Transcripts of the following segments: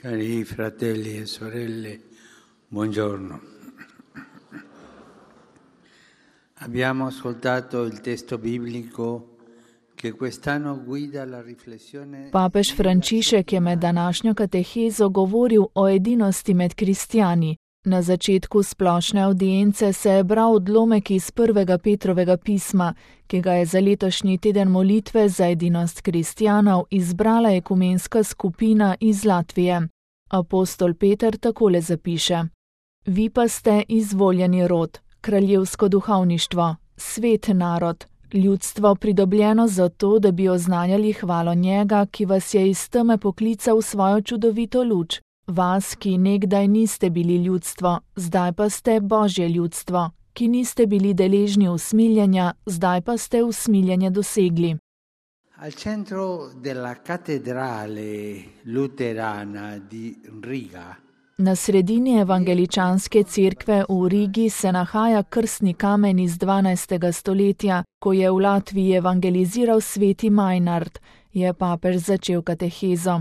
Cari fratelli e sorelle, buongiorno. Abbiamo ascoltato il testo biblico che quest'anno guida la riflessione. Papež Frančišek je med današnjo katehezo govoril o edinosti med kristjani. Na začetku splošne avdience se je bral odlomek iz 1. Petrovega pisma, ki ga je za letošnji teden molitve za edinost kristjanov izbrala ekumenska skupina iz Latvije. Apostol Peter takole zapiše: Vi pa ste izvoljeni rod, kraljevsko duhovništvo, svet narod, ljudstvo pridobljeno zato, da bi oznanjali hvalo njega, ki vas je iz teme poklical v svojo čudovito luč. Vas, ki nekdaj niste bili ljudstvo, zdaj pa ste Božje ljudstvo, ki niste bili deležni usmiljenja, zdaj pa ste usmiljenje dosegli. Al centro della cattedrale luterana di Riga. Na sredini evangeličanske cerkve v Rigi se nahaja krstni kamen iz 12. stoletja, ko je v Latviji evangeliziral sveti Majnard, je papež začel katehezo.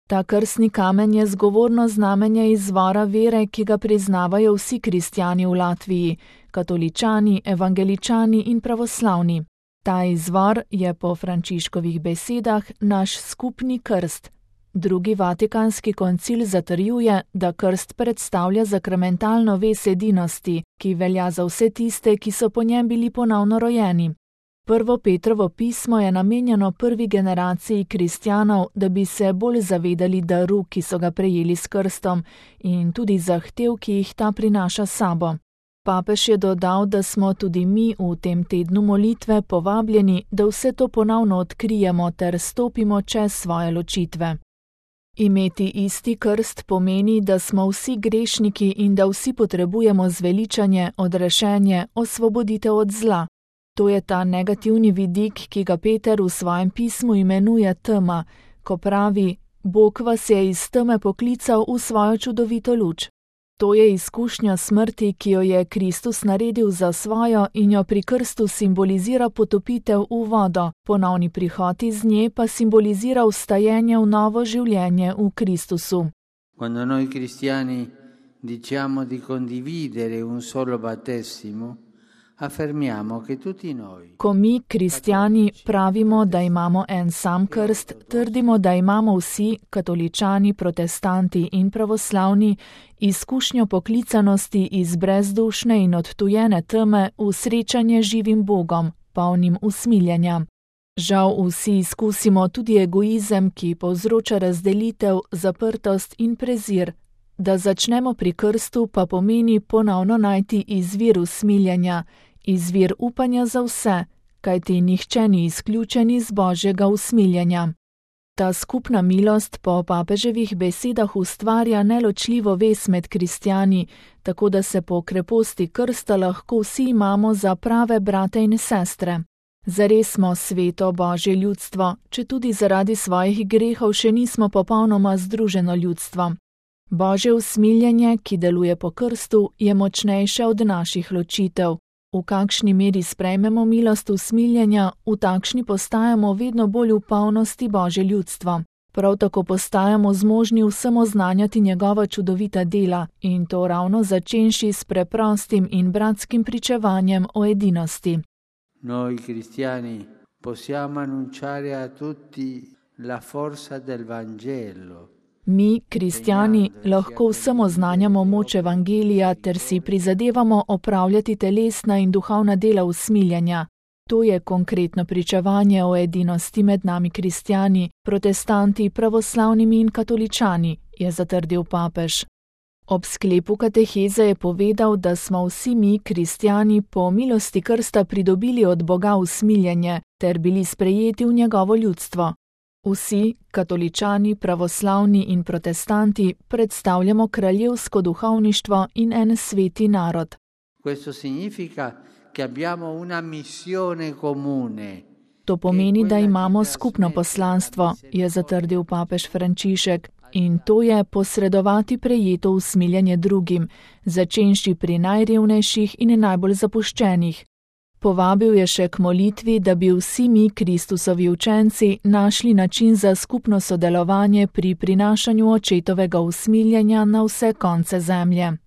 Ta krstni kamen je zgovorno znamenje izvora vere, ki ga priznavajo vsi kristjani v Latviji, katoličani, evangeličani in pravoslavni. Ta izvor je po Frančiškovih besedah naš skupni krst. Drugi vatikanski koncil zatrjuje, da krst predstavlja sakramentalno vez edinosti, ki velja za vse tiste, ki so po njem bili ponovno rojeni. 1. Petrovo pismo je namenjeno prvi generaciji kristjanov, da bi se bolj zavedali daru, ki so ga prejeli s krstom, in tudi zahtev, ki jih ta prinaša s sabo. Papež je dodal, da smo tudi mi v tem tednu molitve povabljeni, da vse to ponovno odkrijemo ter stopimo čez svoje ločitve. Imeti isti krst pomeni, da smo vsi grešniki in da vsi potrebujemo zveličanje, odrešenje, osvoboditev od zla. To je ta negativni vidik, ki ga Peter v svojem pismu imenuje tema, ko pravi: Bog vas je iz teme poklical v svojo čudovito luč. To je izkušnja smrti, ki jo je Kristus naredil za svojo in jo pri krstu simbolizira potopitev v vodo, ponovni prihod iz nje pa simbolizira vstajenje v novo življenje v Kristusu. Quando noi cristiani diciamo di condividere un solo battesimo, affermiamo che tutti noi. Ko mi, kristjani, pravimo, da imamo en sam krst, trdimo, da imamo vsi, katoličani, protestanti in pravoslavni, izkušnjo poklicanosti iz brezdušne in odtujene teme v srečanje živim Bogom, polnim usmiljenja. Žal vsi izkusimo tudi egoizem, ki povzroča razdelitev, zaprtost in prezir. Da začnemo pri krstu pa pomeni ponovno najti izvir usmiljenja, izvir upanja za vse, kajti nihče ni izključen iz Božjega usmiljenja. Ta skupna milost po papeževih besedah ustvarja neločljivo vez med kristjani, tako da se po kreposti krsta lahko vsi imamo za prave brate in sestre. Zares smo sveto Božje ljudstvo, četudi zaradi svojih grehov še nismo popolnoma združeno ljudstvo. Božje usmiljenje, ki deluje po krstu, je močnejše od naših ločitev. V kakšni meri sprejmemo milost usmiljenja, v takšni postajamo vedno bolj v polnosti Božje ljudstvo. Prav tako postajamo zmožni vsem oznanjati njegova čudovita dela, in to ravno začenši s preprostim in bratskim pričevanjem o edinosti. Noi cristiani possiamo annunciare a tutti la forza del Vangelo. Mi, kristjani, lahko vsem oznanjamo moč evangelija ter si prizadevamo opravljati telesna in duhovna dela usmiljenja. To je konkretno pričevanje o edinosti med nami kristjani, protestanti, pravoslavnimi in katoličani, je zatrdil papež. Ob sklepu kateheze je povedal, da smo vsi mi, kristjani, po milosti krsta pridobili od Boga usmiljenje ter bili sprejeti v njegovo ljudstvo. Vsi, katoličani, pravoslavni in protestanti, predstavljamo kraljevsko duhovništvo in en sveti narod. Questo significa che abbiamo una missione comune. To pomeni, da imamo skupno poslanstvo, je zatrdil papež Frančišek, in to je posredovati prejeto usmiljenje drugim, začenši pri najrevnejših in najbolj zapuščenih. Povabil je še k molitvi, da bi vsi mi, Kristusovi učenci, našli način za skupno sodelovanje pri prinašanju očetovega usmiljenja na vse konce zemlje.